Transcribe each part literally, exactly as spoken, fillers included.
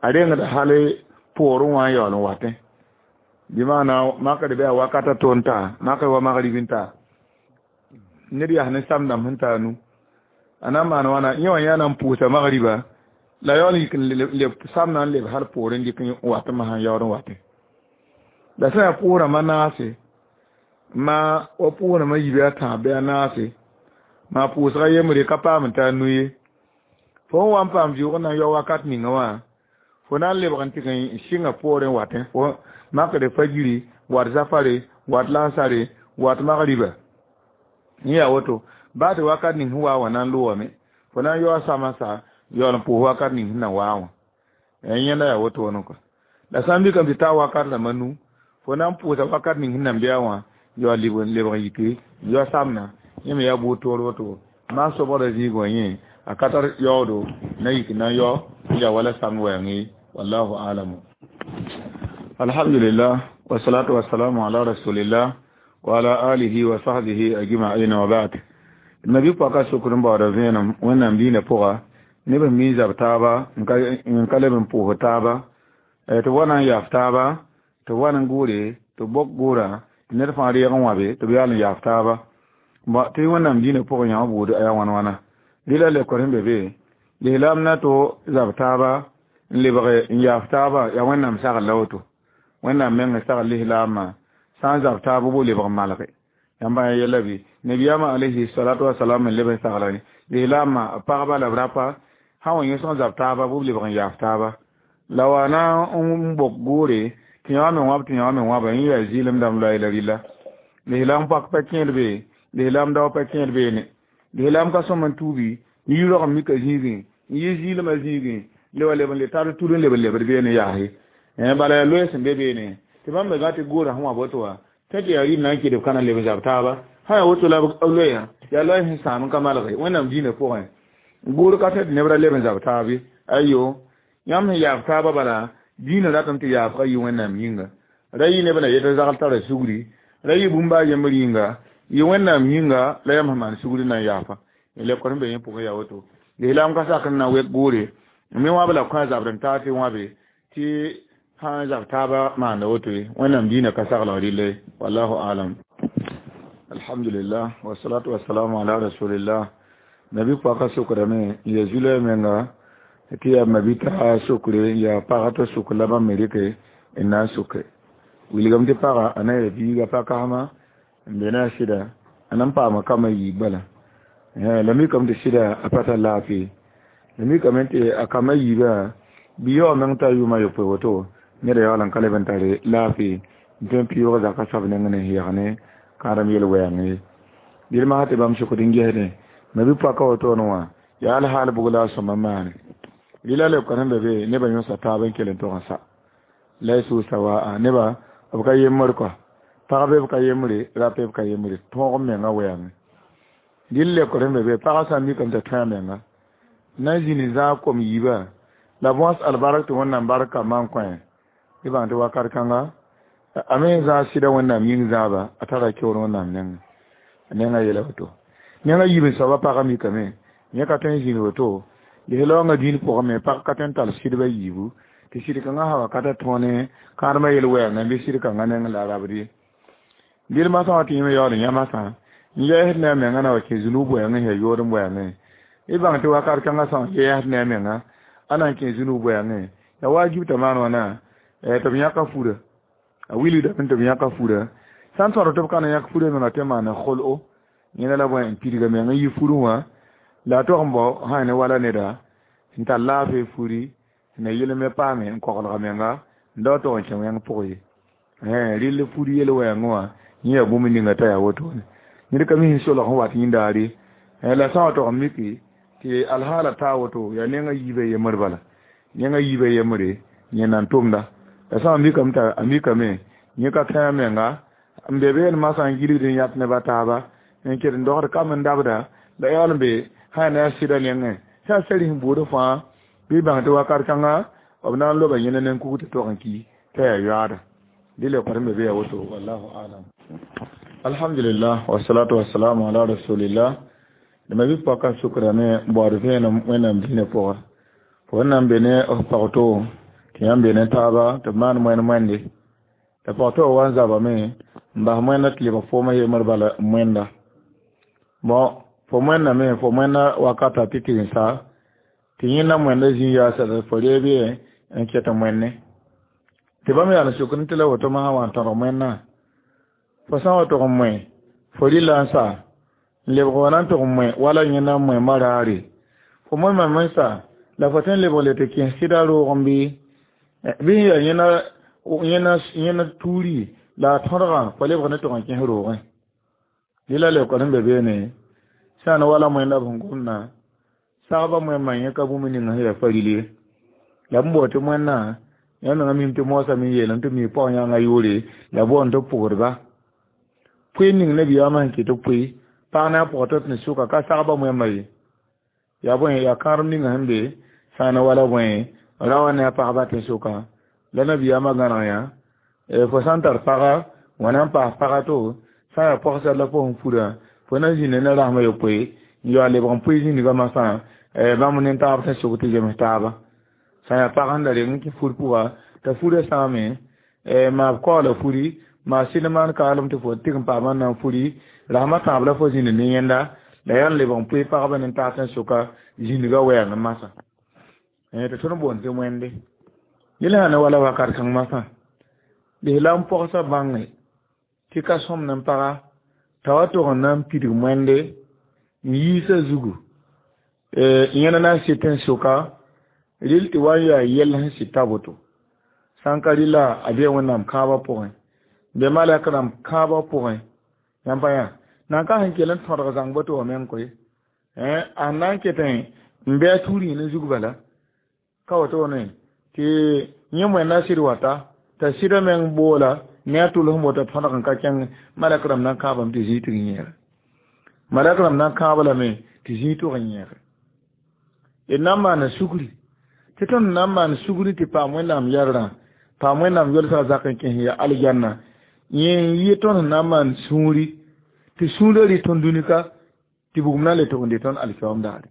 A rengd hal poorẽ wã n yaool n watẽ bɩ maana makr bɩ a wakata to n taa makr wa magrib n taa ned yaa ne sam dãmb sẽn taa nu a na n maan wãna yẽ wã yã na n pʋʋsa magriba la yaool n yik n leb samdã n leb hal poorẽ n dɩk n wat n masã n yaood n watẽ la sã yaa pʋʋsrãmbã naase ma wa pʋʋsrãmbã yibe a tãab bɩ a naase maa pʋʋsga yembre ka paam n taa nu ye fo n wa n paam vɩʋʋg n na n yao wakat ninga wã fo na n lebg n tɩg n sɩnga poorẽ watẽ fo makre fajiri wat zafare wat lansare wat magriba yẽ yaa woto baa tɩ wakat ning sẽn waa wã na n loogame fo na n yaoa samã sa yaool n pʋʋs wakat ning sẽn na waa wã yẽnda yaa wotone kɔ la sã n mikame tɩ taa wakat rãmbã nu fo na n pʋʋsa wakat ning sẽn nan bɩa wã yaool leb n lebg n yike n yao samna yẽ me yaa buud toor woto maan sobgrã zĩig wã yẽ a ka tar yaoodo na yik na n yao n yaa wala samd wɛɛng ye wallahu alamu alhamdulillah wasalatu wasalamu ala rasulillah wa ala alihi wa sahbihi ajma'in wa ba'd nabi paka sukr n baooda vẽenem wẽnnaam diinã pʋga neb sẽn mi zab taaba n ka leb n pʋʋs taaba tɩ b wa na n yaaf taaba tɩ b wa n gʋʋre tɩ b bok gʋʋra tɩ ned fãa reeg n wãbe tɩ b yaal n yaaf taaba tɩ wẽnnaam diinã pʋgẽ yã buud yaa wãn wãna rɩla lekor sẽn be be lislaam na to zab taaba n lebg n yaaf taaba yaa wẽnnaam sagl la woto wẽnnaam meng sagl lislaamã sã n zab taaba bo lebg n malge yãmba yã yɛla bɩ nabiyaamã alayhi salatu wasalam n leb n sagla lislaamã b pagba la b rapa sã wa yẽ sẽn zab taaba bɩ b lebg n yaaf taaba la wa na n bok gʋʋre tɩ yã me wãb tɩ yã me wãba yẽ yaa zɩɩlem dãmb loɛɛ la rɩla lislaam pak pa kẽed be lislaam dao pa kẽed beene lislaam ka sõm n tuubi n yi rog n mika zĩigẽ n yi zɩɩlmã zĩigẽ le wa leb n le tar tud n leb n lebd beene yaase bala yaa loɛɛ sẽn be beene tɩ bãmb me gã tɩ goorã sẽn wa boto wã tẽ tɩ yaa rɩɩm na n kɩdb ka na leb n zab taaba sã yaa woto la b loɛɛyã yaa loɛɛ sẽn sãam n ka malge wẽnnaam diinã pʋgẽ goor ka tẽ tɩ neb ra leb n zab taab ye ayo yãmb sẽn yaaf taaba bala diinã ratame tɩ yaafga yɩ wẽnnaam yĩnga ra yɩ neb na yet zagl tara sugri ra yɩ bũmb a yembr yĩnga yɩ wẽnnaam yĩnga la yãmb sẽn maan sugri na n yaafa lekor sẽn be yẽ pʋgẽ yaa woto lislaam ka sak n na wek goore me wãb la kõ a zabr n taa tɩ wãbe tɩ sã n zab taaba maanda woto ye wẽnnaam diinã ka saglg rɩlla ye wallahu alam alhamdulillah wasalatu wasalamu ala rasulillah nabi paka sokrame n ya zulɛ menga tɩ yaa mabita sokre n yaa pagã t'a suk la bãmb me rɩke n na n soke wilgame tɩ pagã a na ya biiga pa-kasma n be ne a sɩda a na n paama kambã yiib bala la mikame tɩ sɩda a pa tar laafɩ la mikame tɩ a kambã yiibã bɩ yaoog meng t'a yʋʋmã yopoe woto neda yaool n ka leb n tare laafɩ n tõe n pɩʋʋg zaka soab neng ne yɛg ne kãadem yel-wɛɛng ye dɩl masã tɩ bãmb sokd n gesdẽ ma bɩ paka wotone wã yaa alhaal bug la a sõma maane rɩla lebka sẽn be be nebã yõsa taab n kell n tog n sa laysu sawaa neba b ka yembr kɔa pagb b ka yembre rap b ka yembre tõog n menga wɛɛngẽ dɩl lekr sẽn be be pagã sã n mikame t'a tõe a menga na n zĩni zãag kom yiibã la bõs albark tɩ wẽnnaam bark kambã n kõ tɩ bãng tɩ wakat kãnga a me zãag sɩda wẽnnaam yĩng zãaba a tara keoor wẽnnaam nengẽ a nengã yeela woto nengã yiib n soaba pagã mikame yẽ ka tõe n zĩnd woto lislaoongã dĩin pʋgẽ me pag ka tõe n tall sɩdbã yiibu tɩ sɩd kãngã sã wakata tõo ne kãadmã yel-wɛɛngã bɩ sɩd kãngã neng la a rabd ye dɩl masã wã tɩ yẽ me yaool n yã masã n yɛɛsd ne a menga na wa kẽ zũnug bʋɛɛngẽ sẽn yaa yood n bʋɛɛngẽ y bãng tɩ wakat kãngã sã n yɛɛsd ne a menga a na n kẽ zũnug bʋɛɛngẽ yaa waajib t'a maan wãna tɩ b yãka fura a wilgdame tɩ b yãka fura sã n tõd tɩ b ka na yãk fura menga tɩ maana kol'o yẽna la bõe n pidga meng n yi furẽ wã la a tog n bao sã ne wala neda n tar laafɩ furi na yel me paame n koglga menga n dao tog n kẽ wẽng pʋg ye rɩl furi yel wɛɛngẽ wã yẽ yaa bũmb ninga t'a yaa wotone ned ka mi sẽn solg sẽn wat yĩndaare la sã wa tog n miki tɩ alhaala taa woto yaa nengã yiibã yembr bala nengã yiibã yembre yẽ nan tʋmda la sã n mikame t'a a mikame yẽ ka tẽ a menga n be been masã n gilgd n yãt neba taaba n ket n dogd kam n dabda la yaool n be sã ne a sɩda nengẽ sã n sari sẽn buud fãa bɩ bãng tɩ wakat kãnga b na n loba yẽna ne n kug tɩ tog n ki t'a yaa yoaada dɩ le n be be yaa woto wallahu alam alhamdulillah wasalatu wasalamu ala rasulillah dama bɩ paka sʋkrame n baood vẽenem wẽnnaam dĩinã pʋga fo wẽnnaam be ne f pag-to Tɩ yãmb be ne taaba tɩ b maan moẽn moẽnde t'a pag tɩ wa n zabame n bas moẽnda tɩ lebg foomã yembr bala moẽnda bon fo moẽndame fo moẽnda wakata tɩ tɩg n sa tɩ yẽnda moẽnda zĩ yaasa fo reeb ye n ket n moẽne tɩ bãmb yaa n suk tɩ la woto masã wa n tõdg moẽnnã fo sã n wa tʋg n moẽ fo rɩla n sa n lebg wa na n tʋg n moẽ wala yẽnda n moẽ maraare fo moẽmame n sa la fo tõe n lebg le tɩ kẽes sɩda roog n bɩ bɩ sẽn yaa yẽna yẽna yẽna tuuri la a tõdgã fo lebg ne tʋg n kẽes roogẽ dɩ la leoka sẽn be beene sã n wala moẽnda b sẽn gomdã sagba moẽmã yẽ ka bũmb ning sẽn yaa faril ye la b bao tɩ moẽnnã yã menga mim tɩ moosã me yeelame tɩ mi pag-yãngã yʋʋre la boond tɩ pʋgdba pʋɩ ning nabiyaamã sẽn kɩt tɩ pʋɩ pag ne a pʋgã tɩ ne sʋka ka sagba moẽmã ye yaa bõe yaa kãadem ninga sẽn be sã n wala bõe ra wa ne a pagba tɩ sʋka la nabiyaamã gãneg yã fo sã n tar paga wãna n paas paga to sã n yaa pɔgsar la fo sẽn furã fo na zĩnda ne rasmã yopoe n yaool lebg n pʋɩ zĩnigã masã bãmb nin-taab tɩ sʋk tɩ zems taaba sã n yaa pag sẽn da reng n kẽ fur pʋga t'a furã sãame maa b kaoola furi maa sɩd maan kaalem tɩ fo tɩg n paamã na n furi rasmã tãab la fo zĩnd ne yẽnda la yaa n lebg n pʋɩ pagba nin-taab tɩ sʋka zĩnigã wɛɛng masã tɩ tõnd boond tɩ wẽnde yel sã ne wala wakat kãng masã lislaam pɔgsa bãnge tɩ ka sõmd n paga t'a wa tʋg n na n pidg moẽnde n yiisã zugu yẽna na n sɩt n sʋka rɩl tɩ wa n yaa yɛl sẽn sɩta woto sã n ka rɩla a bee wẽnnaam kãabã pʋgẽ be malɛk rãmb kãabã pʋgẽ yãmb pa yã nan ka sẽn kell n tõdg zãng boto wã meng koe a sẽn na n ketẽ n bɩ a tuur yẽ ne zug bala ka wotone tɩ yẽ moẽnda sɩd wata t'a sɩda meng boola ne a tʋls n bota tõdg n ka kẽng malɛk rãmb na n kãabame tɩ zĩig tɩg n yẽege malɛk rãmb na n kãab lame tɩ zĩig tʋg n yẽege d na n maana sugri tɩ tõnd na n maan sugri tɩ paam wẽnnaam yɛrrã paam wẽnnaam yolsga zak n kẽs ya aljanna yẽ n yɩ tõnd sẽn na n maan sũuri tɩ sũurã rɩ tõnd dũnika tɩ bugum na n le tʋg n dɩ tõnd alkiyaoom daare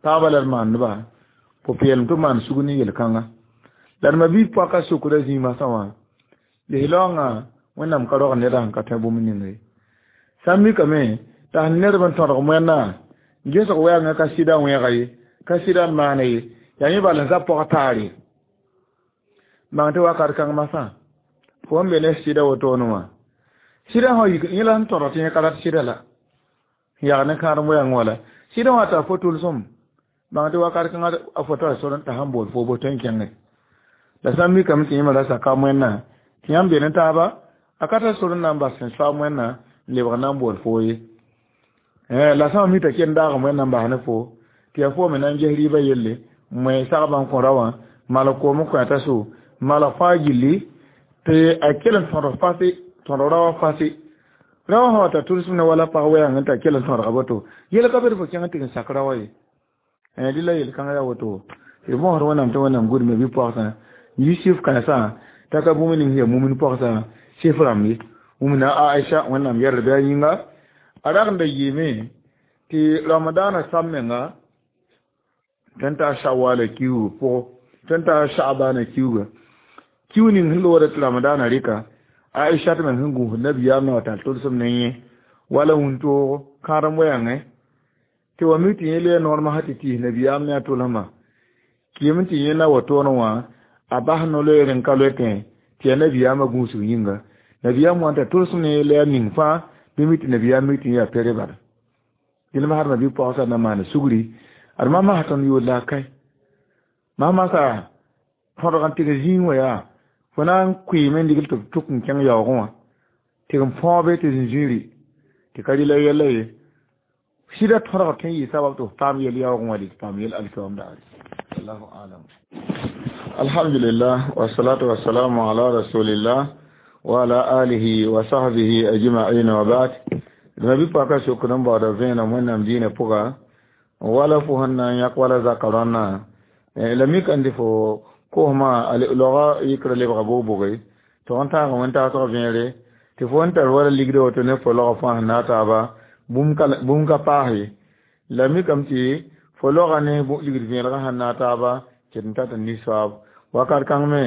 pagbã la d maandba pʋ-peelem tɩ maan sugr ne yel-kãnga la d ma-biig pɔka sokra zĩig masã wã lislaoongã wẽnnaam ka rog neda sẽn ka tõe bũmb ninga ye sã n mikame t'a sẽn ned n tõdg moẽnnã gesg wɛɛngã ka sɩda wẽega ye ka sɩda n maana ye yaa yẽ bal n zab pɔg taare bãng tɩ wakat kãng masã fo n be ne sɩda wotone wã sɩda sã yik yẽ la sẽn tõdg tɩ yẽ ka rat sɩda la n yag ne kãadem wɛɛng wã la sɩda wã t'a fo tʋlsem bãng tɩ wakat kãngã a fo tara sor n t'a sẽn bool fo bo tõe n kẽnge la sã n mikame tɩ yẽmã ra saka moẽnnã tɩ yãmb be ne taaba a ka tar sor n na n bas sẽn soa moẽnnã n lebg n na n bool foo ye la sã n mi t'a ken daag moẽnnã n bas ne fo tɩ yaa fo me na n ges rɩɩbã yelle moẽ sagbã n kõ ra wã malg koom n kõ t'a so malg fãa gilli tɩ a kell n tõdg fase tõdg ra wã fase ra wã sã wa ta tʋlsem ne wala pag wɛɛng n t'a kell n tõdga boto yel ka be tɩ fo kẽng tɩg n sak ra wã ye dɩ la yel-kãngã yaa woto tɩ bõosd wẽnnaam tɩ wẽnnaam gudme bɩ pɔgsã yusuf kãensã t'a ka bũmb ning sẽn yaa mumin pɔgsã sɩf rãmb ye wũmna Aisha wẽnnaam yɛrd bɩ a yĩnga a rag n da yɩɩme tɩ ramadaanã sam menga tõe n taa shawala kiugu pʋgẽ tõe n taa sha'bana kiuga kiu ning sẽn loogda tɩ ramadaanã rɩka Aisha tɩ meng sẽn gũusd nabiyaam na wa tar tʋlsem ne yẽ wala wũntoogo kãadem wɛɛngẽ tɩ wa mi tɩ yẽ le noor masã tɩ tiis nabiyaam ne a tʋlsmã kɩɩm tɩ yẽ na wa toonẽ wã a bas no-loeer n ka loetẽ tɩ yaa nabiyaamã gũusg yĩnga nabiyaam wã n t'a tʋlsem ne la yaa ning fãa bɩ mi tɩ nabiyaam mi tɩ yẽ yaa pere bala dẽnd masd ma bɩ paoosã na maan sugri ad ma masã tõnd yood la a kae masã masã tõdg n tɩg zĩig wã yaa fo na n kʋɩɩme n digl tɩ b tʋk n kẽng yaoogẽ wã tɩg n põobe tɩ zĩn-zĩiri tɩ ka rɩla yɛla ye sɩda tõdg tõe n yɩ sabab tɩ f paam yel yaoogẽ wã tɩ paam yel alkiyaoom daare allahu alam alhamdulillah wasalatu wasalamu ala rasulillah wa ala alihi wa sahbihi ajma'in wa ba'd d ma paka sokd n baooda vẽenem wẽnnaam diinã pʋga wala fo sẽn na n yãk wala zaka rãnnã la mik n tɩ fo kosmã a loga yikra lebga bog-boge tɩ n tãag wẽn-taasg vẽere tɩ fo n tar wala ligda woto ne fo log fãa sẽn na a taaba bũmb ka paas ye la mikame tɩ fo loga ne ligd vẽelgã sẽn na a taaba ket n tat n nisoaab Wakat kãng me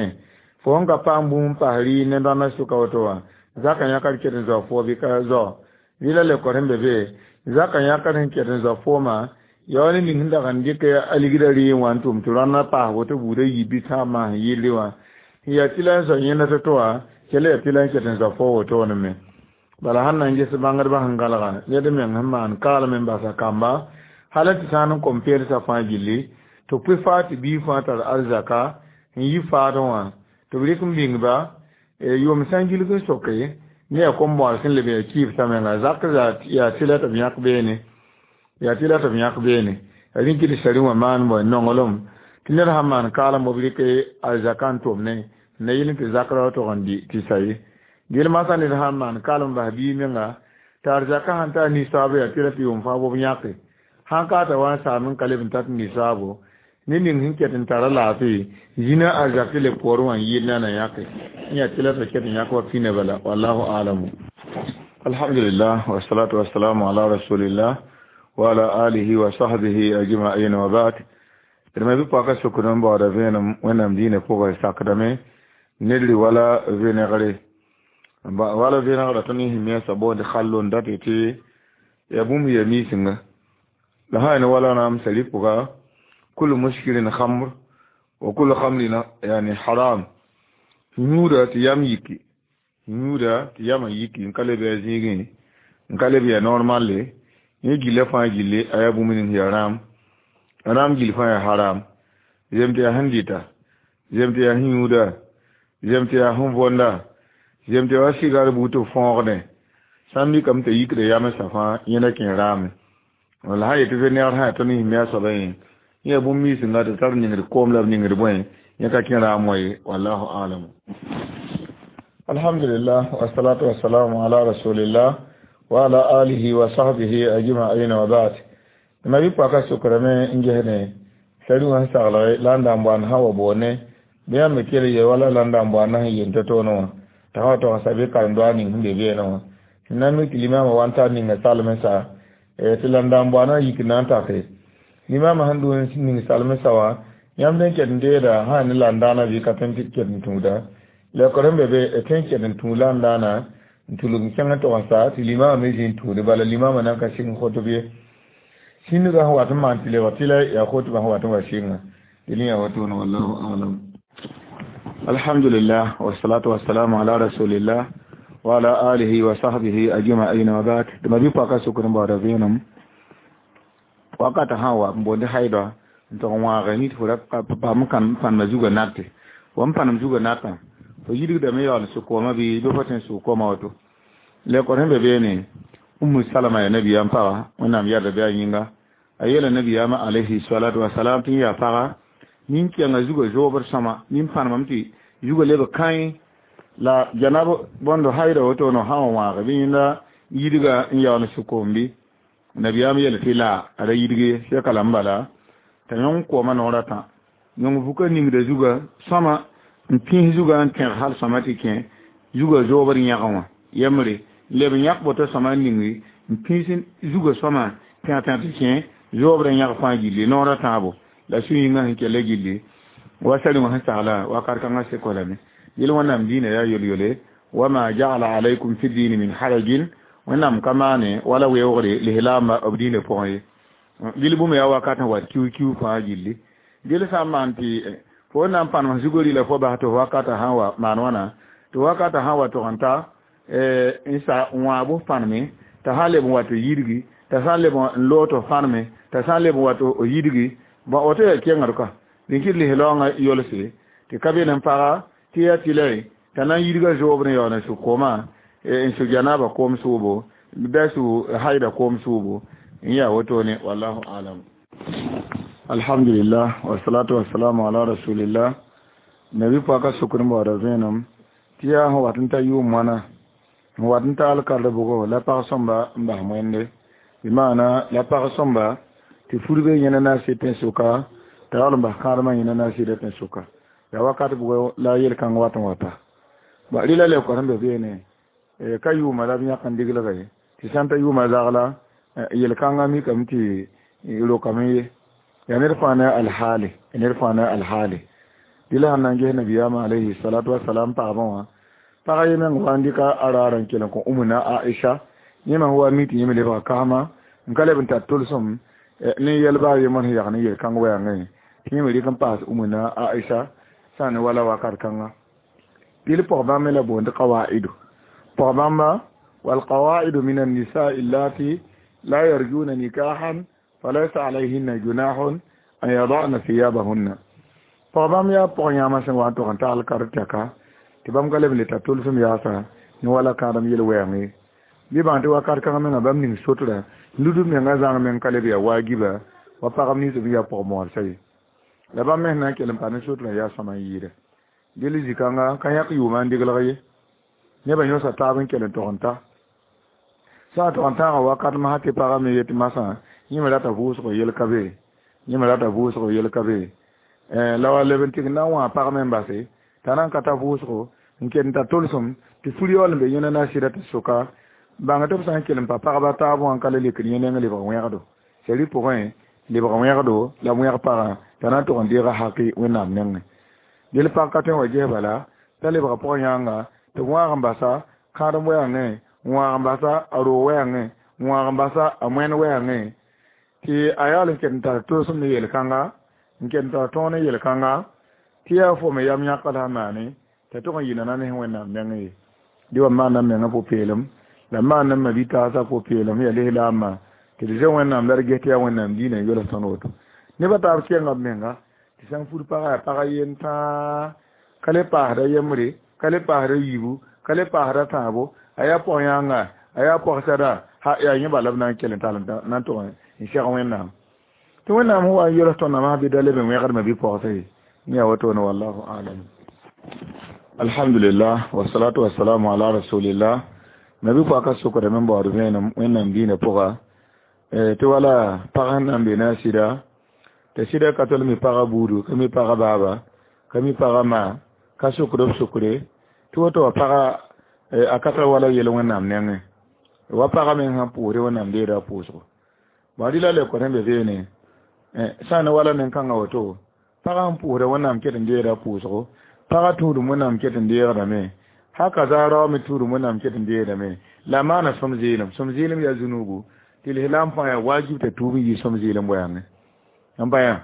fo sẽn ka paam bũmb n pas rɩɩr ne rãndã sʋka woto wã zakã yãkd ket n zao foo bɩ ka zao rɩla le kor sẽn be be zakã yãkd sẽn ket n zao foomã yaa ne ning sẽn dag n dɩk a ligdã rɩɩr wã n tʋm tɩ rãndã paas woto buudã yi bɩ tãab maan sẽn yɩlde wã n yaa tɩla n zao yẽnda to-to wã kell yaa tɩla n ket n zao fo wotone me. Bala sãn na n ges bãngdbã sẽn gãlga ned meng sẽn maan kaalem n basa kamba hal tɩ sã n kom peelsa fãa gilli tɩ b pʋɩ faa tɩ biig fãa tar arzaka n yi faadẽ wã tɩ b rɩk n bĩngba yʋʋm sã n gilg n soke ne yaa kom-bõor sẽn leb yaa kɩɩbsã menga zak yaa tɩla tɩ b yãk beene yaa tɩla tɩ b yãk beene rẽn kɩ tɩ sari wã maan bõe nonglem tɩ ned sãn maan kaalem b rɩk arzaka n tʋmne na yɩl tɩ zakra tog n dɩ tɩ sa ye gel masã ned sãn maan kaalem bas biig menga tɩ arzaka sãn tar nisaab yaa tɩla tɩ yʋʋm fãa b yãke sãn ka t'a wa n saam n ka leb n tat nisaabo ne ning sẽn ket n tara laafɩ zĩna arzak tɩ le poorẽ wã n yɩl na na yãke n yaa tɩla t'a ket n yãk wa pĩnã bala wallahu alamu. Alhamdulillah wassalatu wassalamu ala rasulillah wa ala alihi wa sahbihi ajma'in wa ba'd. D ma bɩ paka sokd n baooda vẽenem wẽnnaam diinã pʋgã sakdame ned rɩ wala vẽnegre wala vẽnegrã tõnd sẽn mensã boond khallon dat tɩ yaa bũmb ya miisinga la sã ne wala naam sari pʋga kullu muskirin khamr wa kullu khamrin yani haram yũuda tɩ yam yiki yũuda tɩ yamã yiki n ka leb yaa zĩigẽ n ka leb yaa normalle yẽ gilla fãa gilli a yaa bũmb ning yaa rãam rãam gill fãa yaa haram zem tɩ yaa sẽn dɩta zem tɩ yaa sẽn yũuda zem tɩ yaa sẽn võnda zem tɩ yaa sigar buud tɩ b fõogdẽ sã n mikame t'a yikda yamsã fãa yẽna kẽ raame wala sã yetɩ vẽnegr sã yaa tõnd sẽn mi a soabã yẽ yẽ yaa bũmb miisnga tɩ tar ningd koom la b ningd bõe yẽ ka kẽ raam wã ye wallahu alamu. Alhamdulillah wassalatu wassalamu ala rasulillah wa ala alihi wa sahbihi ajma'in wa ba'd. Ma bi paka sokrame n gesne sari wã saglge la n da n boan sã wa boone bɩ yãmb me kell ye wala la n da n boan sẽn yen to-toonẽ wã t'a sã wa tog n sa bɩ karen-doa ning sẽn be beene wã sẽn na n mik tɩ limamã wa n tar ninga salmsa tɩ la n da n boanã yik na n take limamã sẽn dʋ n ning salmsa wã yãmb sẽn ket n deeda sã ne landãanã bɩ ka tõe n ket n tũuda la kor n be be tõe n ket n tũud landãanã n tulg n kẽng n tog n sa tɩ limamã me zĩ n tũude bala limamã nan ka sɩng khotb ye sĩndgã sẽn wat n maan tɩ lebg tɩ la yaa khotbã sẽn wat n wa sɩnga dẽn yaa wotone wallahu alam. Alhamdulillah wassalatu wassalamu ala rasulillah wa ala alihi wa sahbihi ajma'in wa ba'd. Tɩ ma bɩ paka sokd n baooda vẽenem wakata sã n wa n boond haida n tog n wãage nit fo ra paam n pãnema zugã nate wa n pãnem zugã natã fo yidgdame yaool n sʋk koomã bɩ bɩ fo tõe n sʋg koomã woto le kor sẽn be beene Ummu Salama yaa nabiyaam paga wẽnnaam yɛrda bɩ a yĩnga a yeela nabiyaamã alayhi salatu wasalam tɩ yaa paga nin-kẽngã zugã zoobd sõma nin-pãnemame tɩ zugã leb kãe la janab bõnd haida woto no sã n wãage bɩ yẽnda yidga n yaool n sʋk koom bɩ nabiyaam yeel tɩ la a ra yidg ye sɛka la n bala t'a yõng koomã noorã tã yõng vuka ningda zugã sõma n pĩs zugã n tẽg hal sõma tɩ kẽ zugã zoobd yãgẽ wã yembre leb n yãk boto sõma n ningi n pĩs zugã sõma tẽg tẽg tɩ kẽ zoobd n yãg fãa gilli noorã tãabo la sũ-yĩngã sẽn kella gilli wa sari wã sẽn sagla wakat kãngã seko lame yel wẽnnaam diinã yaa yol-yole wama ja'ala alaykum fi dini min harajin wẽnnaam ka maane wala weoogre lislaambã b diinã pʋgẽ ye dɩl bũmb yaa wakat sẽn wat kiu-kiu fãa gilli dɩl sã n maan tɩ fo na n pãnem zugri la fo bas tɩ wakatã sã n wa maan wãna tɩ wakatã sã n wa tog n ta n sa n wãag pãneme t'a sã n leb n wa tɩ yidgi t'a sã n leb n loog tɩ pãneme t'a sã n leb n wa tɩ yidgi bõn woto yaa kengd ka dẽn kɩ lislaoongã yolse tɩ ka be n paga tɩ yaa tɩ la t'a na n yidga zoobd n yaool n sʋk koomã n sʋk janaaba koom sʋʋbo da sʋ haida koom sʋʋbo n yaa wotone wallahu alam. Alhamdulillah wassalatu wassalamu ala rasulillah nabi paka sokd n baooda vẽenem tɩ yaa sẽn wat n ta yʋʋm wãna n wat n ta alkard bʋgo la pag sõmba n bas wẽnde bɩ maana la pag sõmba tɩ furbe yẽna na n sɩd tẽn-sʋka t'a yaool n bas kãadmã yẽna na n sɩda tẽn-sʋka yaa wakat bʋgo la yel-kãng wat n wata ba rɩla le kor sẽn be beene ka yʋʋma la b yãk n diglga ye tɩ sã n ta yʋʋma zagla yel-kãngã mikame tɩ rokame ye yaa ned fãa ne alhaali ned fãa ne alhaali Dɩla sẽn na n ges nabiyaamã alayhi salatu wasalam pagba wã pag ye meng wa n dɩka a raar n kell n kõ Umuna Aisha yẽ me wa mi tɩ yẽ me lebga kasma n ka leb n tar tolsem ne yɛl baa yembr sẽn yag ne yel-kãng wɛɛngẽ tɩ yẽ me rɩk n paas Umuna Aisha sã ne wala wakat kãnga dɩl pʋg bãmb me la boond qawaidu pʋg bãmba والقواعد من النساء اللاتي لا يرجون نكاحا فليس عليهن جناح أن يضعن ثيابهن pʋg bãmb yaa pʋg yãmã sẽn wa n tog n tagl kartɛka tɩ bãmb ka leb n le tar tolsem yaasa ne wala kãadem yel-wɛɛng ye bɩ bãng tɩ wakat kãngã menga bãmb ning sotra ludb menga zãng meng ka leb yaa waagiba wa pagb nins b yaa pʋg-moodsa ye la bãmb me sẽn na n kell n pa ne sotrã yaa sõma n yɩɩda dɩl zĩ-kãnga ka yãk yʋʋmã n deglg ye nebã yõsa taab n kell n tog n ta sã n tog n tãagã wakat masã tɩ pagã me yetɩ masã yẽ me rata vʋʋsg yel ka be yẽ me rata vʋʋsg yel ka be la wa leb n tɩg n na n wã pag me n base t'a na n ka ta vʋʋsgo n ket n tar tolsem tɩ fur yaool n be yẽna na sɩda tɩ soka bãng tɩ b sã n kell n pa pagba taab wã n ka le lekd yẽ neng lebg wẽgdo sari pʋgẽ lebg wẽgdo la b wẽg pagã t'a na n tog n deega haki wẽnnaam nengẽ del pag ka tõe n wa ges bala t'a lebga pʋgã yãnga tɩ b wãag n basa kãadem wɛɛngẽ n wãag n basa a roog wɛɛngẽ n wãag n basa a moẽn wɛɛngẽ tɩ a yaool n ket n tar tolsem ne yel-kãnga n ket n tar tõog ne yel-kãnga tɩ yaa fo me yam yãk la maane t'a tog n yɩ nana ne wẽnnaam nengẽ ye dɩ wa maanda menga pʋ-peelem la maanda ma bi-taasã pʋ-peelem yaa lislaambã tɩ d zoe wẽnnaam la d ges tɩ yaa wẽnnaam diinã n yols tõnd woto nebã taab kẽnga b menga tɩ sã n fur pagã yaa pagã yen tãa ka le paasda yembre ka le paasda yiibu ka le paasda tãabo a yaa pʋg yãnga a yaa pɔgsada ha yaa yẽ bala b na n kell n tall na n tog n seg wẽnnaam tɩ wẽnnaam sẽn wa n yols tõndã masã bɩ da leb n wẽgdmã bɩ pɔgsa ye yẽ yaa wotone wallahu alam alhamdulillah wasalatu wasalamu ala rasulillah nabi pʋaka sokdame n baood vẽenem wẽnnaam diinã pʋga tɩ wala pag sẽn na n be ne a sɩda tɩ sɩda ka tol mi pagã buudu ka mi pagã baaba ka mi pagã ma ka sokd b sokre tɩ woto wa pagã a ka tar wala yel wẽnnaam nengẽ wa pagã meng sãn pʋʋsde wẽnnaam deeda a pʋʋsgo bã rɩla le kõ be beene sã n ne wala nen-kãngã woto pagã sẽn pʋʋsda wẽnnaam ket n deeda a pʋʋsgo pagã tũudum wẽnnaam ket n deegdame haka za rao me tũudum wẽnnaam ket n deegdame la maana sõm zɩɩlem sõm zɩɩlem yaa zunuubu tɩ lislaam fãa yaa wajib t'a tuub n yɩ sõm zɩɩlem wɛɛngẽ n pa yã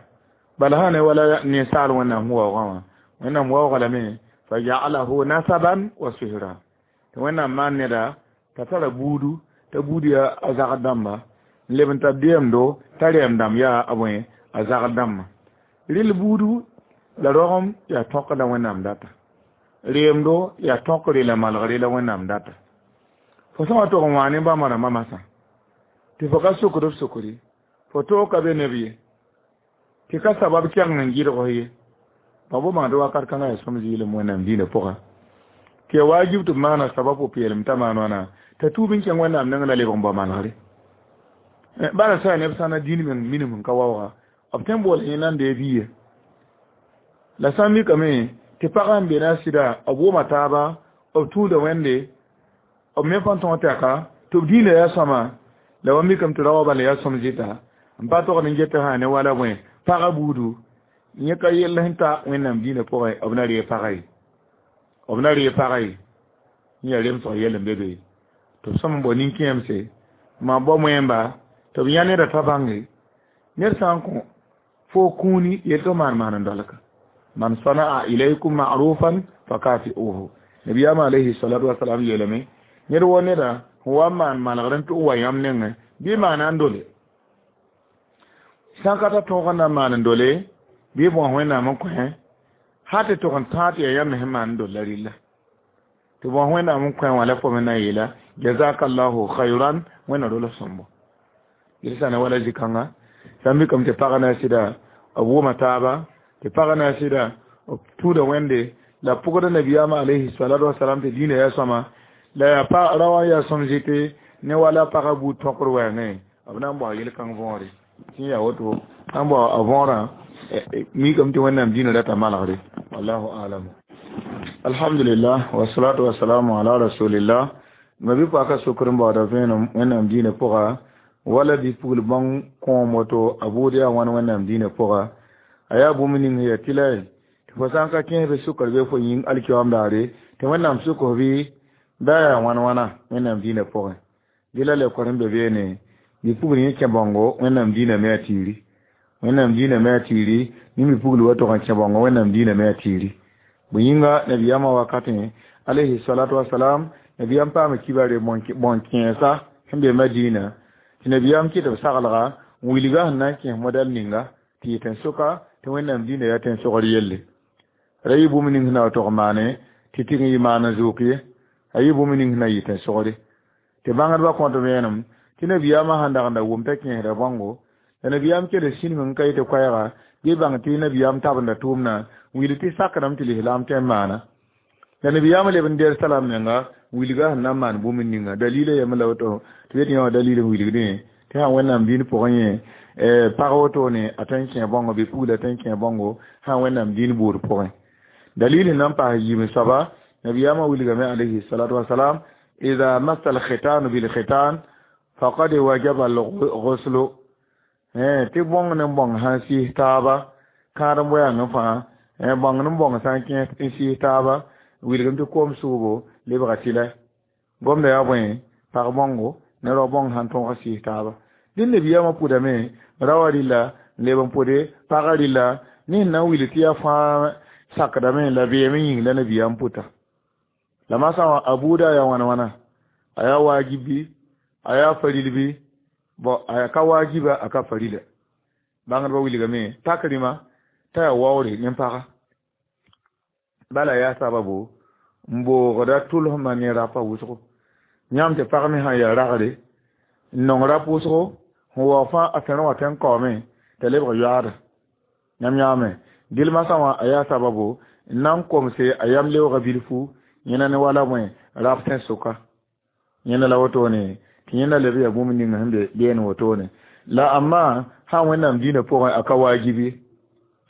bala sã ne wala ninsaal wẽnnaam sẽn waoogã wã wẽnnaam waooga lame fa ja'alahu nasaban wa sihra tɩ wẽnnaam maan neda t'a tara buudu t'a buud yaa a zagd dãmba n leb n tar deemdo t'a rɛɛm dãmb yaa a bõe a zagd dãmbã rɩl buudu la rogem yaa tõk la wẽnnaam data reemdo yaa tõkre la malgre la wẽnnaam data fo sã wa tog n wã ne bãmba rãmbã masã tɩ fo ka sokd b sokre fo toog ka be neb ye tɩ ka sabab kɛgeng n gɩdg ye ba bo bãngd wakat kãngã yaa sõm zɩɩlem wẽnnaam diinã pʋga tɩ yaa wajib tɩ b maana sabab pʋ-peelem t'a maan wãna t'a tuub n kẽng wẽnnaam neng la lebg n bao malgre bala sã yaa neb sã na dĩin meng minim n ka waooga b tõe n boola yẽ nan dee biiye la sã n mikame tɩ pagã n be na a sɩda b wʋma taaba b tũuda wẽnde b me fãn tõog tɛka tɩ b diinã yaa sõma la wa mikame tɩ raoã bala yaa sõm zɩta n pa togd n get sã ne wala bõe pagã buudu yẽ ka yell sẽn ta wẽnnaam diinã pʋgẽ b na ree pagã ye b na ree pagã ye yẽ yaa remsg yell n be be tɩ b sõm n bao nin-kẽemse maa bao moẽmba tɩ b yã neda t'a bãnge ned sã n kõ fo kũuni yel tɩ maan maan n dolka man sana'a ilaykum ma'rufan fakafi'uhu nabiyama alayhi salatu wasalam yeelame ned wo neda sẽn wa n maan malgr n tʋg wa yãmb nengẽ bɩ maana n dole sã n ka ta tõog n na n maan n dole bɩ bõs wẽnnaam n kõ ha tɩ tog n tãag tɩ yaa yãmb me sẽn maan n dol la rɩlla tɩ bõs wẽnnaam n kõ wã la fo me na n yeela jazakallahu khayran wẽnna rol sõmbo yel sã ne wala zĩ-kãnga sã n mikame tɩ pagã na a sɩda b wʋma taaba tɩ pagã na a sɩda b tũuda wẽnde la pʋgda nabiyaamã alayhi salatu wasalam tɩ diinã yaa sõma la yaa pa raoã yaa sõm zɩte ne wala pagã buud tõkr wɛɛngẽ b na n bao yel-kãng võore tɩ yaa woto na n bao a võorã mikame tɩ wẽnnaam diinã rata malgre wallahu alam alhamdulillah wasalatu wasalamu ala rasulillah ma bɩ paka sokr n baooda vẽenem wẽnnaam diinã pʋga wala bɩ pugl bãng kõom woto a buud yaa wãn wẽnnaam diinã pʋga a yaa bũmb ning yaa tɩ la tɩ Fo sã n ka kẽes bɩ sʋkr be fo yĩng alkiyoam daare tɩ wẽnnaam sʋk f bɩ da yaa wãn wãna wẽnnaam dĩinã pʋgẽ dɩ la leokor sẽn be beene bi-pugl yẽ kẽ bãongo wẽnnaam dĩinã me a tiiri wẽnnaam dĩinã me a tiiri ne bi-pugl wa tog n kẽ bãongo wẽnnaam dĩinã me a tiiri bõe yĩnga nabiyaamã wakatẽ alayhi salatu wasalam nabiyaam paama kibare bõn-kẽesa sẽn be madina tɩ nabiyaam kɩt b saglga n wilga sẽn na n kẽes modɛl ninga tɩ yɩ tẽn-soka tɩ wẽnnaam dĩinã yaa tẽn-sogr yelle ra yɩ bũmb ning sẽn na wa tog maane tɩ tɩg n yɩ maan n zʋʋk ye a yɩ bũmb ning sẽn na yɩ tẽn-sogre tɩ bãngdbã kõt vẽenem tɩ nabiyaamã sẽn dag n da wʋm t'a kẽesda bãongo la nabiyaam kell sĩneg n ka yetɩ koɛɛga bɩ bãng tɩ nabiyaam tabenda tʋʋmdã n wilg tɩ sakdame tɩ lislaam tõe n maana la nabiyaamã leb n der salam menga n wilga sẽn na n maan bũmb ninga dalila yame la woto tɩ yet yã wã dalil n wilgdẽ tɩ sã wẽnnaam dĩin pʋgẽ yẽ pag wotone a tõe n kẽ bãongo bɩ pugla tõe n kẽ bãongo sã wẽnnaam dĩin buud pʋgẽ dalil sẽn na n paas yiim soaba nabiyaamã wilgame alayhi salatu wasalam ida massa alkhitanu bilkhitan faqad wajaba alghuslu tɩ bõng ne bõng sã n sɩs taaba kãad n boyãngẽ fãa bõng ne bõng sã n kẽes n sɩs taaba wilgame tɩ koom sʋʋbo lebga tɩlɛ gomda yaa bõe pag bãongo ne rao bõng sãn tõog sɩs taaba dẽ nabiyaamã pʋdame raoã rɩlla n leb n pʋde pagã rɩlla ne sẽn na n wilg tɩ yaa fãa sakdame la beeme yĩng la nabiyaam pʋta la masã wã a buuda yaa wãna wãna a yaa waajib bɩ a yaa faril bɩ bon a ka waajiba a ka farila bãngdbã wilgame tak rĩma t'a yaa waoore ne paga bala yaa sababu n boogda tʋlsmã ne rapa wʋsgo yãmb tɩ pag me sã n yaa ragre n nong rap wʋsgo sẽn waoog fãa a tẽr wã tõe n kaoome t'a lebg yoaada yãmb yãame dɩl masã wã a yaa sababu n na n komse a yam leoogã bilfu yẽna ne wala bõe rap tẽn-soka yẽnda la wotone tɩ yẽnda leb yaa bũmb ning sẽn be beene wotone la amma sã n wẽnnaam dĩinã pʋgẽ a ka waajib ye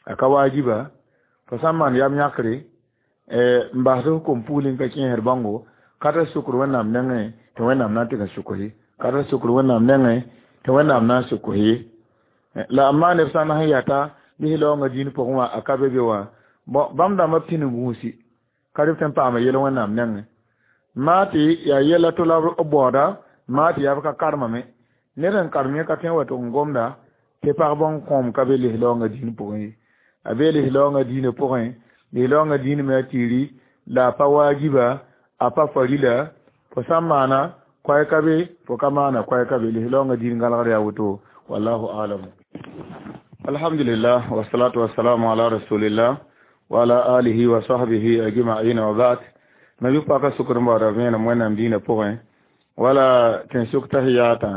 a ka waajiba fo sã n maan yam yãkre n basd f kom pugl n ka kẽesd bãongo ka tar sukr wẽnnaam nengẽ tɩ wẽnnaam na n tɩg n sʋk ye ka tar sukr wẽnnaam nengẽ tɩ wẽnnaam na n sʋk ye la amma neb sã n na sẽn yata lislaoongã dĩin pʋgẽ wã a ka be be wã bãmb dãmbã pĩnd gũusi ka rɩ b tõe n paama yel wẽnnaam nengẽ maa tɩ yaa yɛla to la b baooda maa tɩ yaa b ka karemame ned n karem yẽ ka tõe n wa tʋg n gomda tɩ pag bõn kõom ka be lislaoongã dĩin pʋgẽ ye a be lislaoongã dĩinã pʋgẽ lislaoongã dĩin me a tiiri la a pa waajiba a pa farila fo sã n maana koɛɛ ka be fo ka maana koɛɛ ka be lislaoongã dĩin gãlgd yaa woto wallahu alam alhamdulillah wasalatu wasalamu ala rasulillah wa ala alihi wa sahbihi ajma'in wa ba'd nabi paka sukr n baooda vẽenem wẽnnaam dĩinã pʋgẽ wala tẽn-sʋk tahiyatã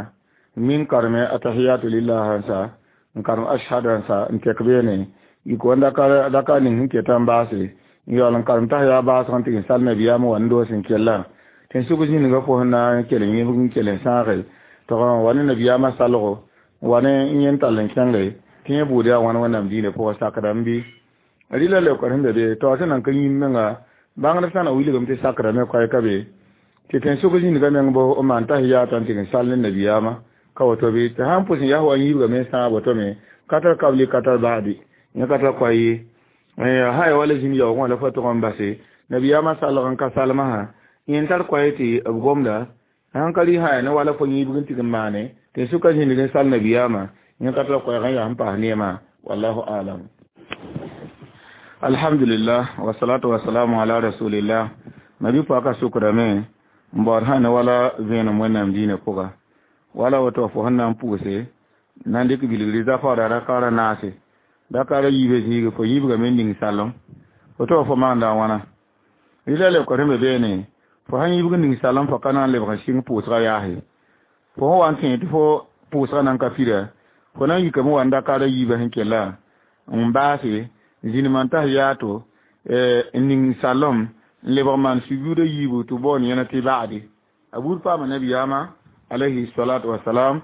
min karme atahiyatu lillah sã n karem ashhadu sã n tek beene yik wa daka ning sẽn keta n baase n yaool n karem tahiya baasg n tɩg n sal nabiyaamã wa n doos n kella tẽn-sʋk zĩnigã fo sẽn na n kell n yẽbg n kell n sãage tɩ wa ne nabiyaamã salgo wa ne n yẽn tall n kẽnge tɩ yẽ buud yaa wãn wẽnnaam dĩinã pʋgã sakdame bɩ rɩla leookr sẽn be be taoor sẽn nan ka yĩm menga bãngd sã na wilgame tɩ sakdame koɛɛ ka be tɩ tẽn-sʋk zĩnigã meng bo n maan tahiyaatã n tɩg n sal ne nabiyaamã ka woto bɩ tɩ sã n pʋs n yaa wa n yiibgame n sãag woto me ka tar kabli ka tar baadi yẽ ka tar koa ye sã ya wala zĩn yaoogẽ wã la fo tʋg n base nabiyaamã salg n ka salmã sã yẽ tar koɛɛ tɩ b gomda sãn ka rɩ sã ya ne wala fo yĩibg n tɩg n maane tẽn-sʋka zĩnig n sal nabiyaamã yẽ ka tar koɛɛg n yaa sẽn paas neemã wallahu alam alhamdulillah wasalatu wasalamu ala rasulillah nabi paka sukrame n baood sã ne wala vẽenem wẽnnaam dĩinã pʋga wala woto fo sẽn na n pʋgse na n dɩk bilgri zafaooda rakaara naase rakaara yiibã zĩige fo yiibgame n ning salem fo tɩ fo maanda a wãna rɩla leokr sẽn be beene fo sãn yiibg n ning salem fo ka na n lebg n sɩng pʋʋsgã yaase fo sẽn wa n tẽ tɩ fo pʋʋsgã nan ka pida fo na n yikame wa n dakaara yiibã sẽn kella n baase zĩnimã n tas yaato n ning salem n lebg maan sujuuda yiibu tɩ baoon yẽna tɩ ba'ade a buud paama nabiyaamã alayhi salatu wasalam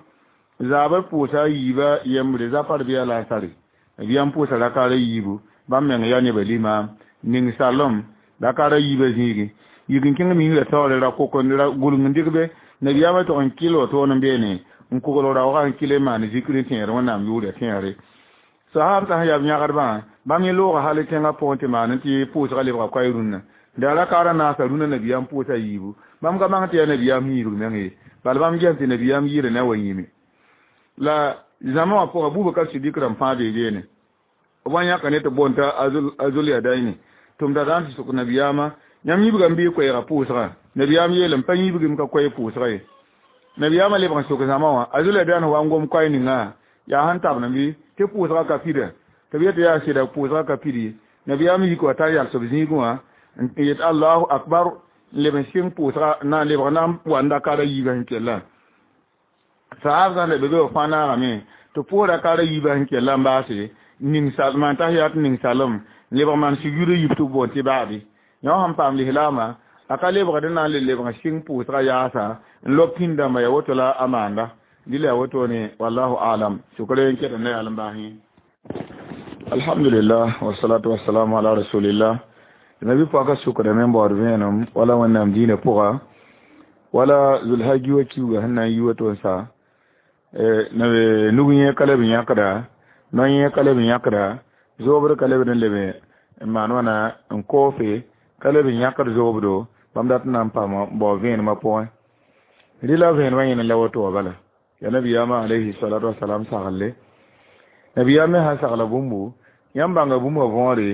zaabã pʋʋsa a yiibã yembre zafar bɩ a lansare nabiyaam pʋʋsa rakaara yiibu bãmb meng yaa nebã limaam ning salem rakaara yiibã zĩigi yik n kẽng miisrã taoore ra kok ra gʋlg n dɩk be nabiyaamã tog n kɩl wotoon n beene n kogl raoogã n kɩl n maan zikr n tẽed wẽnnaam yʋʋrã tẽegre sahab sã sẽn yaa b yãgdbã Bãmb yẽ looga hal tẽngã pʋgẽ tɩ maan tɩ pʋʋsgã lebga koɛɛ rũnnã da rakaara naasa rũnã nabiyaam pʋʋsa yiibu bãmb ka bãng tɩ yaa nabiyaam sẽn yirg meng ye bala bãmb gesem tɩ nabiyaam yɩɩra na wa yĩme la zãma wã pʋga Bubakar Sidik rãmb fãa bee beene b wa yãka ne tɩ boond t'a Azol Yadaini tɩ m da daan tɩ sʋk nabiyaamã yãmb yibgame bɩ koɛɛga pʋʋsgã nabiyaam yeelame pa yibgem ka koɛɛ pʋʋsga ye nabiyaamã lebg n sok zãma wã Azol Yadaini wa n gom koɛɛ ninga yaa sẽn tabdẽ bɩ tɩ pʋʋsgã ka pida tɩ b yetɩ yaa sɩda pʋʋsgã ka pid ye nabiyaam yik wa tar yals b zĩigẽ wã n yet Allahu akbar n leb n sɩng pʋʋsga na n lebg na n wa n rakaara yiibã sẽn kellã sahab sã n da be be b fãa naagame tɩ pʋʋs rakaara yiibã sẽn kellã n baase ning maan tahiyat ning salem n lebg maan sujud yib tɩ b boond tɩ baabi yõ sẽn paam lislaamã a ka lebgd n na n le lebg n sɩng pʋʋsgã yaasa n lob pĩnd-dãmba ya woto la a maanda dɩla ya wotone wallahu alam sʋkr n ket n na yaa n baas yẽ alhamdulillah wasalatu wassalamu ala rasulillah nabi pɔka sʋkdame n baood vẽenem wala wẽnnaam diinã pʋga wala zulhaji wa kiuga sẽn na n yi woto n sa nug yẽ ka leb n yãkda no-yẽ ka leb n yãkda zoobd ka lebd n leb n maan wãna n koofe ka leb n yãkd zoobdo bãmb dat n na n paam n bao vẽenemã pʋgẽ rɩla vẽenemã yẽne la woto wã bala ya nabiyaamã alayhi salatu wasalam saglle nabiyaam me sã sagla bũmbu yãmb bãnga bũmba võore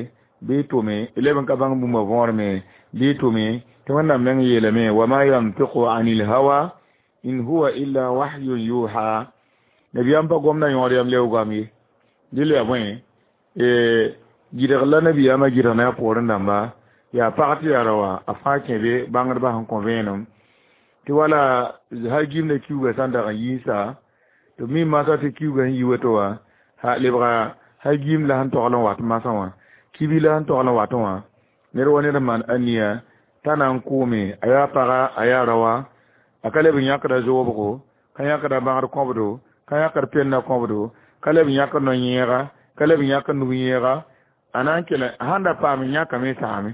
bɩ tʋme leb n ka bãng bũmba võor me bɩ tʋme tɩ wẽnnaam meng yeelame wama yantiqu anil hawa in huwa illa wahyun yuha nabiyaam pa gomda yõod yam leoogam ye dɩl yaa bõe gɩdg la nabiyaamã gɩdg ne a poorẽ dãmba yaa pag tɩ yaa raoã a fãa kẽ be bãngdbã sẽn kõ vẽenem tɩ wala hal gimda kiuga sã n dag n yiisa tɩ b mi masã tɩ kiuga sẽn yi woto wã lebga hal gim la sẽn togl n wat masã wã kibi la sẽn togl n watẽ wã ned wa ned n maan aniya t'a na n kʋʋme a yaa paga a yaa raoã a ka leb n yãkda zoobgo ka yãkda bãgd kõbdo ka yãkd pennã kõbdo ka leb n yãkd no-yẽega ka leb n yãkd nug-yẽega a na n kell sãn da paam n yãkame saame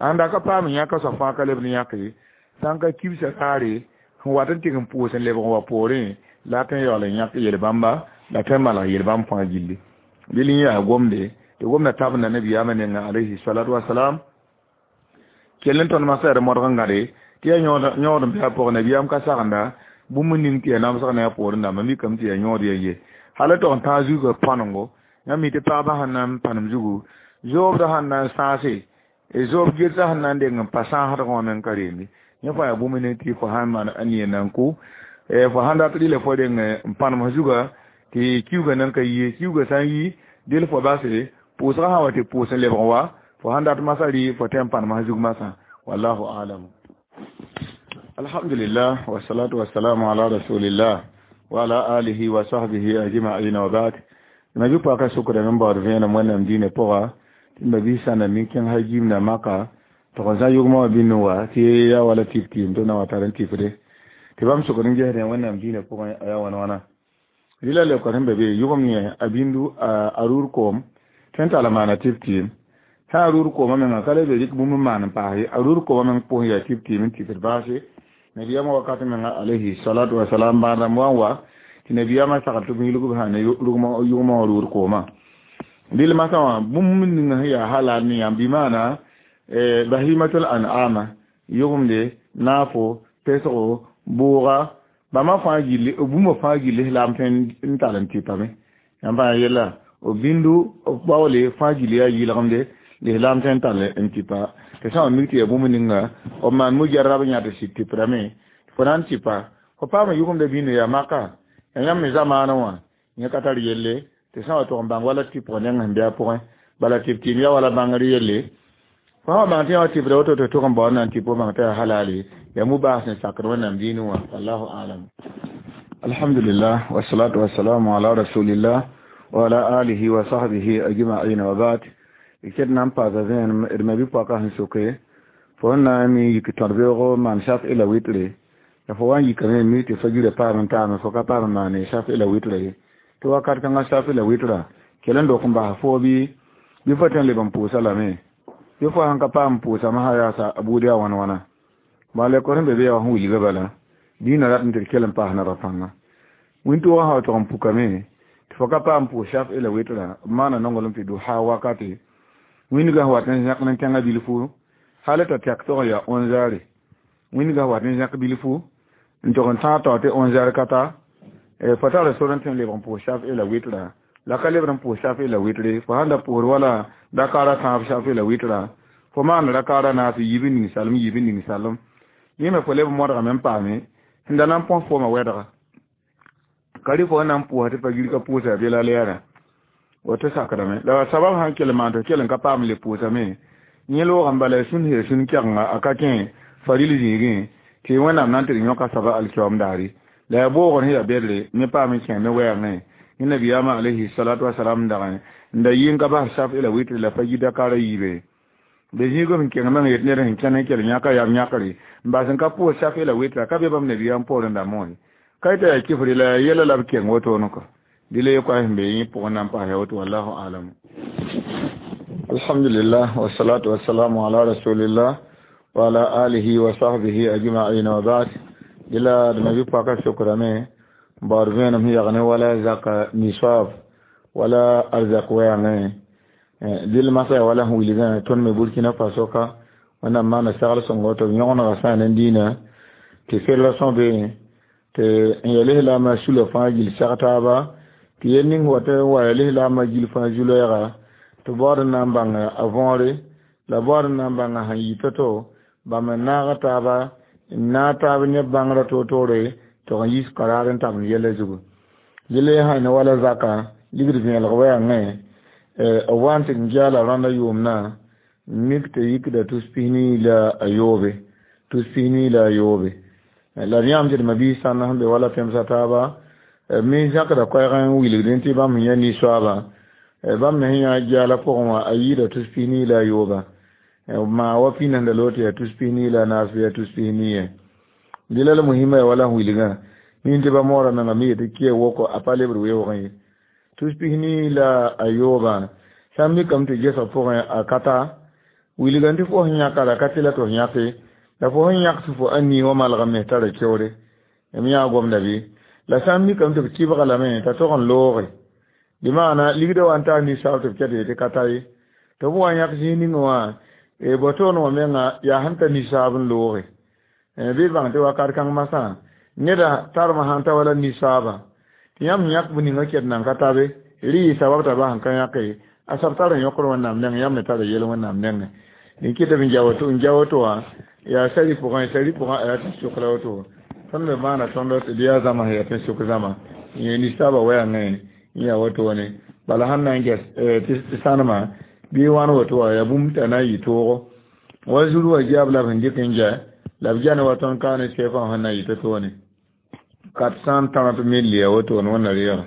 sãn da ka paam n yãka soab fãa ka leb n yãk ye sã n ka kibsã raare sẽn wat n tɩg n pʋʋs n lebg n wa poorẽ la a tõe n yaool n yãk yel-bãmba la tõe n malg yel-bãmb fãa gilli dɩl n yaa gomde tɩ gomda tabenda nabiyaamã nenga alayhi salatu wasalam kell n tõnd masã yaa d modg n gãde tɩ yaa yõod n bɩ a pʋgẽ nabiyaam ka sagenda bũmb ning tɩ yaa namsg ne a poorẽ dãmba mikame tɩ yaa yõod ya ye hal tog n tãag zugã pãnengo yãmb mi tɩ pagba sẽn na n pãnem zugu zoobdã sẽn na n sãase zoob getsã sẽn na n deng n pa sãasdgã wã meng ka reembe yẽ fãa yaa bũmb ning tɩ fo sãn maan a nia na n kʋ fo sãn dat rɩla fo deng n pãnem zugã tɩ kiuga nan ka yi kiuga sã n yi dɩl fo base pʋʋsgã sã wa tɩ pʋʋs n lebg wa fo sãn dat masã rɩ fo tẽ n pãnem zug masã wallahu alam alhamdulillah wasalatu wassalamu ala rasulillah wa ala alihi wa sahbihi ajma'in wa ba'd nabi paka sukra men baood vẽenem wẽnnaam diinã pʋga tɩ mabiisã na mi kẽng hajim na maka tɩ n zã yʋgmã wã bĩnd wa tɩ yaa wala tɩf tɩɩm tɩ na wa tar n tɩfde tɩ bãmb sʋkd n gesdẽ wẽnnaam diinã pʋgẽ a yaa wãn wãna rɩla leoka sẽn be be yʋgem ne a bĩndu a rʋʋr koom tõe n tall n maana tɩf tɩɩm sã a rʋʋr koomã menga ka le be rɩk bũmb n maan n paas ye a rʋʋr koomã meng pʋsẽ yaa tɩf tɩɩm n tɩfd baase nabiyaamã wakat menga alayhi salatu wasalam bãadãmb wa n wa tɩ nabiyaamã sagl tɩ b yilg b sã ne yʋgmã wã rʋʋr koomã dɩl masã wã bũmb ning sẽn yaa halal ne yãmb bɩ maana bahimatul an'ama yʋgemde naafo pesgo bʋʋga bãmba fãa gilli bũmba fãa gill lislaam tõe n tall n tɩpame yãmb fãa yella b bĩndu b baoole fãa gill yaa yɩlgemde lislaam tõe n tall n tɩpa tɩ sã wa mik tɩ yaa bũmb ninga b maan mujarab yã tɩ sɩd tɩprame fo na n tɩpa fo paam yʋgemda bĩndo yaa maka yaa yãmb me zamaanẽ wã yẽ ka tar yelle tɩ sã wa tog n bãng wala tɩpg neng sẽn bɩ a pʋgẽ bala tɩp tɩɩm yaa wala bãngr yelle fo sã wa bãng tɩ yã wa tɩpda woto tɩ tog n baood na n tɩp fo bãng tɩ yaa halale yaa mubaas n sakd wẽnnaam diinẽ wã wallahu alam alhamdulillah wasalatu wassalamu ala rasulillah wa ala alihi wa sahbihi ajma'in wa ba'd ket na n paasa vẽenem d ma bi-poakã sẽn soke fo n na n mi yik tõd-beoogo maan saf ila witre la fo wa n yikame mi tɩ fa gira paam n taame fo ka paam n maane saf ila witre ye tɩ wakat kãngã saf ila witra kell n dok n basa foo bɩ bɩ fo tõe n leb n pʋʋsa lame bɩ fo sãn ka paam n pʋʋsame sã yaasa a buud yaa wãn wãna bala lekor sẽn be be yaa wa sẽn wilga bala dĩinã rat n tɩ d kell n paas naba pãnga wĩntoogã sã wa tog n pukame tɩ Tɩ fo ka paam pʋʋs shaf'i la wɩtrã b maana nonglem tɩ duha wakate wĩndgã wat n zẽk ne tẽngã bilfu hal t'a tɛk tog n yaa onze heures wĩndgã wat n zẽk bilfu n tog n tãag tao tɩ onze heures ka ta fo tara sor n tɩ n lebg n pʋʋs shaf'i la wɩtrã la ka lebd n pʋʋs shaf'i la wɩtre fo sãn da pʋʋsd wala rakaara tãab shaf'i la wɩtrã fo maan rakaara naas yiib n ning salem yiib n ning salem yẽ me fo leb modgame n paame sẽn da na n põs foomã wɛdga ka rɩ fo na n pʋʋsa tɩ pa gir ka pʋʋsa bela lɛɛrã woto sakdame la sabab sãn kell maan tɩ kell n ka paam le pʋʋsame yẽ loogame bala ya sũn sẽn sũn kɛgenga a ka kẽ faril zĩigẽ tɩ wẽnnaam na n tɩ d yõka saba alkiyoom daare la yaa boogr sẽn yaa bedre me paam n kẽ ne wɛɛngẽ yẽ nabiyaamã alayhi salatu wasalam dagẽ n da yɩ n ka bas shaf'i la wɩtre la pa yi dakara yiibe be zĩigã sẽn kẽng meng yet ned sẽn kẽn n kell yãka yam yãkre n bas n ka pʋʋs shaf'i la wɩtra ka be bãmb nabiyaam poorẽ dãmbẽ wã ka yeta yaa kifri la yaa yɛla la b keng wotone kɔ dɩ la ye sẽn be yẽ pʋgẽ na n paasa woto wallahu alam. Alhamdulillah wassalatu wassalamu ala rasulillah wa ala alihi wa sahbihi ajma'in wa ba'd. Dɩla d mabi paka sokrame baood vẽenem sẽn yag ne wala zaka nisab wala arzak wɛɛngẽ dɩl masã yaa wala sẽn wilgã tõnd me Burkina Faso ka wẽnnaam maana segl sõngo tɩ b yõgenega sã ne dĩinã tɩ fédération be tɩ n yaa lislaamã sula fãa gill seg taaba tɩ yel ning wa tɩ wa yaa lislaamã gill fãa zu-loɛɛga tɩ baood n na n bãng a võore la baood n na n bãng sẽn yɩ to-to bãmb n naaga taaba n naag taab neb bãngrã toor-toore tɩ n yis karaar n tabend yɛla zugu yele sã ne wala zaka ligd vẽelg wɛɛngẽ b wa n tɩ n geala rãndã yʋʋmdã mik tɩ yikda tus pis-nii la a yoobe tus pis-nii la a yoobe la d yãmb tɩ d mabiis sãnd sẽn be wala pẽmsa taaba me zãkda koɛɛg n wilgdẽ tɩ bãmb sẽn yã nisoaaba bãmb me sẽn yã geala pʋgẽ wã a yɩɩda tus pis-nii la a yooba maa wa pĩnd sẽn da loog tɩ yaa tus pis-nii la a naas bɩ yaa tus pis-nii ye dɩla la musima yaa wala sẽn wilgã nin tɩ ba moorã menga me yetɩ kɩa woko a pa lebd weoogẽ ye tus pis-nii la a yoobã sã n mikame tɩ gesg pʋgẽ a ka ta wilgã tɩ fo sẽn yãka la ka tɩ la tɩ f yãke la fo sẽn yãk tɩ fo a nii wã malgame me tara keoore m yã gomda bɩ la sã n mikame tɩ b kɩbga lame t'a tog n looge bɩ maana ligdã wa n taa nisaab tɩ b ket yetɩ ka ta ye tɩ b wa yãk zĩig ning wã botoon wã menga yaa sẽn ta nisaab n looge bɩ d bãng tɩ wakat kãng masã neda tarmã sãn ta wala nisaabã tɩ yãmb yãk b ninga ket nan ka tabe rɩ yɩ sabab t'a bas n ka yãke a sab tar n yõkd wẽnnaam nengẽ yãmb me tara yel wẽnnaam nengẽ n kɩ tɩ b n ja woto wã yaa sari pʋgẽ sari pʋgẽ a yaa tɩ sʋk la woto tõnd me maana tõnd tɩ bɩ yaa zãma sẽn yaa tɩ sʋk zãma yẽ nisaabã wɛɛngẽ n yaa wotone bala sãn na n ges tɩ sãnema bɩ wãn woto wã yaa bũmb t'a na n yɩ toogo wa zuru wã giab la b sẽn dɩk n ja la b ja ne wa tõnd ka ne sɛɛfã sẽn na n yɩ to-toone quatre cent trente mille ya wotone wẽnna reega.